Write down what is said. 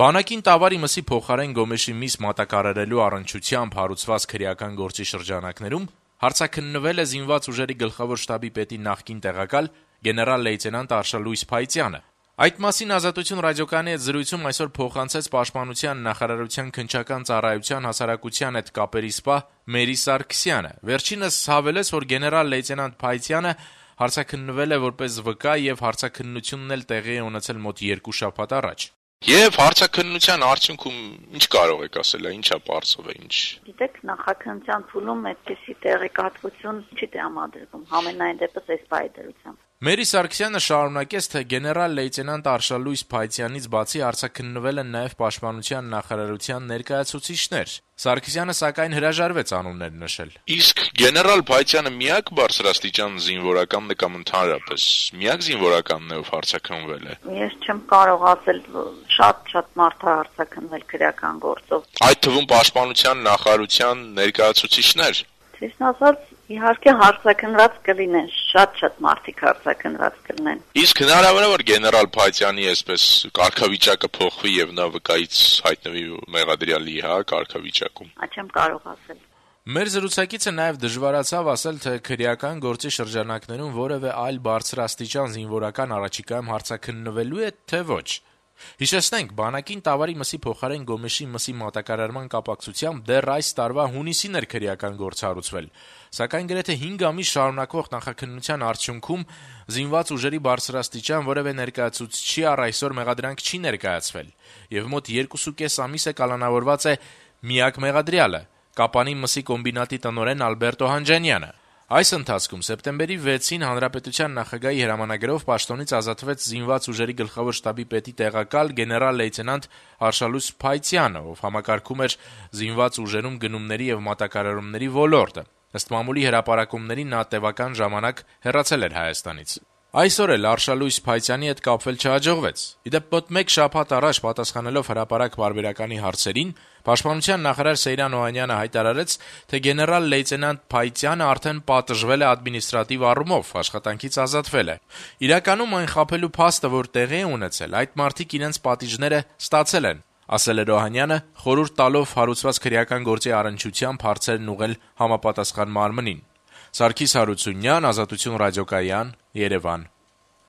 Բանակին Տավարի մսի փոխարեն Գոմեշի միս մատակարարելու առնչությամբ հարուցված քրեական գործի շրջանակներում հարցաքննվել է զինված ուժերի գլխավոր շտաբի պետի նախկին տեղակալ գեներալ-լեյտենանտ Արշալույս Փայտյանը։ Այդ մասին Ազատություն ռադիոկայանի հետ զրույցում այսօր փոխանցեց Պաշտպանության նախարարության քննչական ծառայության հասարակության հետ կապերի սպա Մերի Սարգսյանը։ Վերջինս հավելեց, որ գեներալ-լեյտենանտ Փայտյանը հարցաքննվել է որպես վկա եւ հարցաքննությունն էլ տեղի է ունեցել մոտ 2 շաբաթ առաջ։ Եվ հարցաքննության արդյունքում ինչ կարող եք ասել, ինչա պարզով է, ինչ։ Գիտեք, նախաքննության փուլում այդպիսի տեղեկատվություն չի տրամադրվում, համենայն դեպս այս բայդրությամբ։ Մերի Սարգսյանը շարունակեց, թե գեներալ-լեյտենանտ Արշալույս Փայտյանից բացի հարցաքննվել են նաև Պաշտպանության նախարարության ներկայացուցիչներ։ Սարգսյանը սակայն հրաժարվեց անուններ նշել։ Իսկ գեներալ Փայտյանը միակ բարձրաստիճան զինվորականն է կամ ընդհանրապես միակ զինվորականն է, ով հարցաքննվել է։ Ես չեմ կարող ասել, շատ մարդ է հարցաքննվել քրեական գործով։ Այդ թվում Պաշտպանության նախարարության ներկայացուցիչներ։ Ճիշտ ասած, իհարկե հարցաքննված կլինեն, շատ մարդիկ հարցաքննված կլինեն։ Իսկ հնարավոր է, որ գեներալ Փայտյանի այսպես կարգավիճակը փոխվի եւ նա վկայից հայտնվի մեղադրյալի, կարգավիճակում։ Չեմ կարող ասել։ Մեր զրուցակիցը նաև դժվարացավ ասել, թե քրեական գործի շրջանակներում որևէ այլ բարձրաստիճան զինվորական առաջիկայում հարցաքննվելու է, թե ոչ։ Հիշեցնենք, բանակին Տավարի մսի փոխարեն Գոմեշի մսի մատակարարման կապակցությամբ դեռ այս տարվա հունիսին էր քրեական գործ հարուցվել, սակայն գրեթե 5 ամիս շարունակվող նախաքննության արդյունքում զինված ուժերի բարձրաստիճան որևէ ներկայացուցիչի առ այսօր մեղադրանք չի ներկայացվել, եւ մոտ 2.5 ամիս է կալանավորված է միակ մեղադրյալը՝ Կապանի մսի կոմբինատի տնօրեն Ալբերտո Հանջանյանը։ Այս ընթացքում սեպտեմբերի 6-ին հանրապետության նախագահի հրամանագրով պաշտոնից ազատվեց զինված ուժերի գլխավոր շտաբի պետի տեղակալ գեներալ-լեյտենանտ Արշալույս Փայտյանը, ով համակարգում էր զինված ուժերում գնումների եւ մատակարարումների ոլորտը։ Ըստ մամուլի հրապարակումների նա տևական ժամանակ հեռացել էր Հայաստանից։ Այսօր էլ Արշալույս Փայտյանի հետ կապվել չհաջողվեց։ Իդեպ մոտ 1 շաբաթ առաջ պատասխանելով հրապարակ պարբերականի հարցերին, Պաշտպանության նախարար Սեյրան Օհանյանը հայտարարեց, թե գեներալ-լեյտենանտ Փայտյանը արդեն պատժվել է ադմինիստրատիվ առումով, աշխատանքից ազատվել է։ Իրականում այն խաբելու փաստը, որ տեղի է ունեցել, այդ մարդիկ իրենց պատիժները ստացել են, ասել էր Օհանյանը, խորհուրդ տալով հարուցված քրեական գործի առնչությամբ հարցերն ուղղել համապատասխան մարմնին։ Սարգիս Հարությունյան, Ազատություն ռադիոկայան, Երևան։